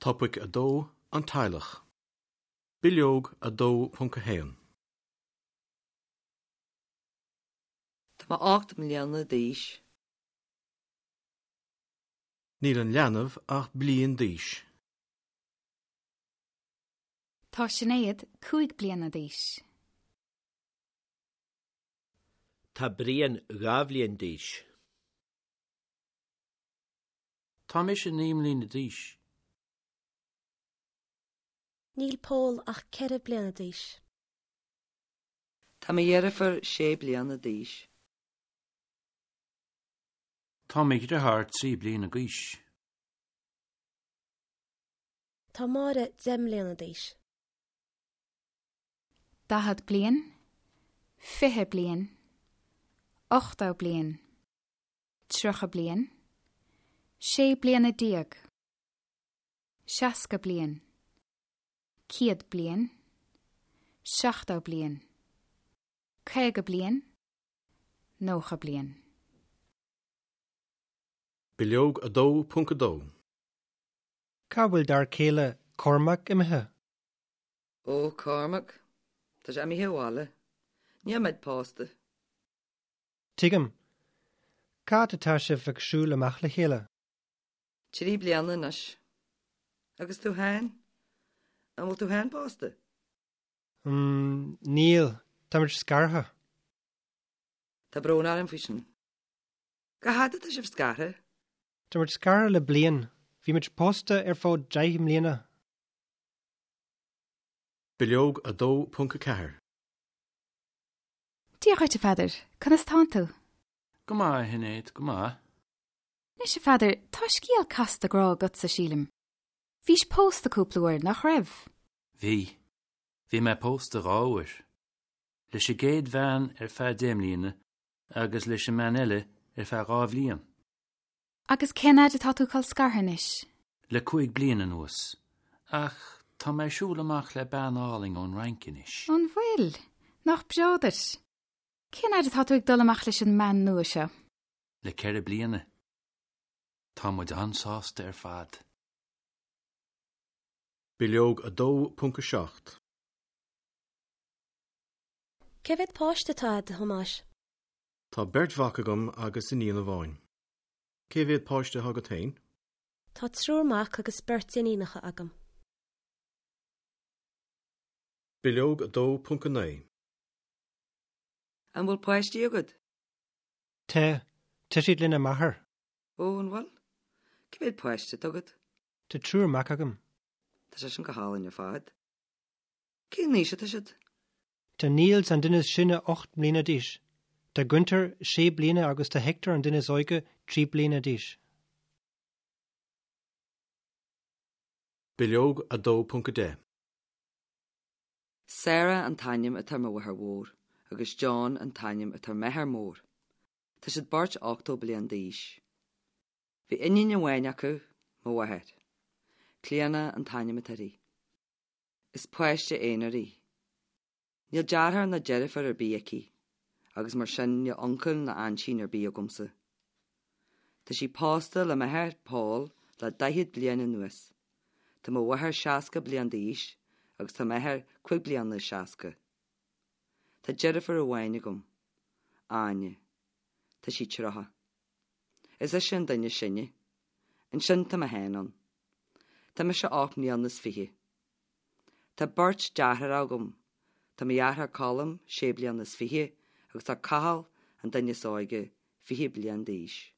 Topaic 2, An Teaghlach. Bileog 2.1. Tá mé 8 mbliana d'aois. Níl an leanbh ach bliain d'aois. Tá Sinéad 5 bliana d'aois. Tá Brian 2 bhliain d'aois. Tá mise 9 mbliana d'aois. Níl Pól ach 4 bliana d'aois. Tá mo dheirfiúr 6 bliana d'aois. Tá mo dheartháir 3 bliana d'aois. Tá Máire 10 mbliana d'aois. 40 bliain, 20 bliain, 80 bliain, 30 bliain, 16 bliana, 60 bliain, 100 bliain, 70 bliain, 50 bliain, 90 bliain. Bileog 2.2. Cá bhfuil d'fhear céile Cormac imithe? Ó, Cormac, tá sé imithe abhaile. Níl muid pósta. Tuigim. Cá fhad atá sibh ag siúl amach le chéile? Trí bliana anois. Agus tú féin? An bhfuil tú féin pósta? Mm, níl. Táimid scartha. Tá brón orm faoi sin. Cá fhad atá sibh scartha? Táimid scartha le bliain. Bhí muid pósta ar feadh 10 mbliana. Bileog 2.4. Dia dhuit, a Pheadair. Conas tánn tú? Go maith, a Shinéad, go maith. Anois, a Pheadair, tá scéal casta grá agatsa, sílim. Bhís pósta cúpla uair, nach raibh? Bhí. Bhí mé pósta dhá uair. Leis an gcéad bhean ar feadh deich mbliana agus leis an mbean eile ar feadh dhá bhliain. Agus cén fhad atá tú col scartha anois? Le cúig bliana anuas. Ach tá mé ag siúl amach le bean álainn ón Fhrainc anois. An bhfuil? Nach breá duit. Cén fhad atá tú ag dul amach leis an mbean nua seo? Le ceithre bliana. Tá muid an-sásta ar fad. Bileog 2.7. Cé mhéad páiste atá agat, a Thomáis? Tá beirt mhac agam agus iníon amháin. Cé mhéad páiste atá agat féin? Tá triúr mac agus beirt iníonacha agam. Bileog 2.9. An bhfuil páistí agat? Tá. Tá siad lena máthair. Ó, an bhfuil? Cé mhéad páiste atá agat? Tá triúr mac agam. Tá sé sin go hálainn ar fad. Cén aois atá siad? Tá Niels an duine is sine 8 mbliana d'aois. Tá Gunther 6 bliana agus tá Hector an duine is óige 3 bliana d'aois. Bileog 2.10. Sarah an t-ainm atá ar mo mháthair mhór agus John an t-ainm atá ar m'athair mór. Tá siad beirt 80 bliain d'aois. Bhí iníon amháin acu, mo mháthair. Clíona an t-ainm atá uirthi. Is páiste aonair í. Níl deartháir ná deirfiúr ar bith aici agus mar sin níl uncail ná aintín ar bith agamsa. Tá sí pósta le m'athair, Paul, le 40 bliain anuas. Tá mo mháthair 60 bliain d'aois agus tá m'athair cúig bliana is 60. Tá deirfiúr amháin agam, Áine. Tá sí 30. Is ise an duine is sine. Ansin tá mé féin ann. Tá mise ocht mbliana is fiche. Tá beirt deartháireacha agam. Tá mo dheartháir Colm sé bliana is fiche agus tá Cathal, an duine is óige, 20 bliain d'aois.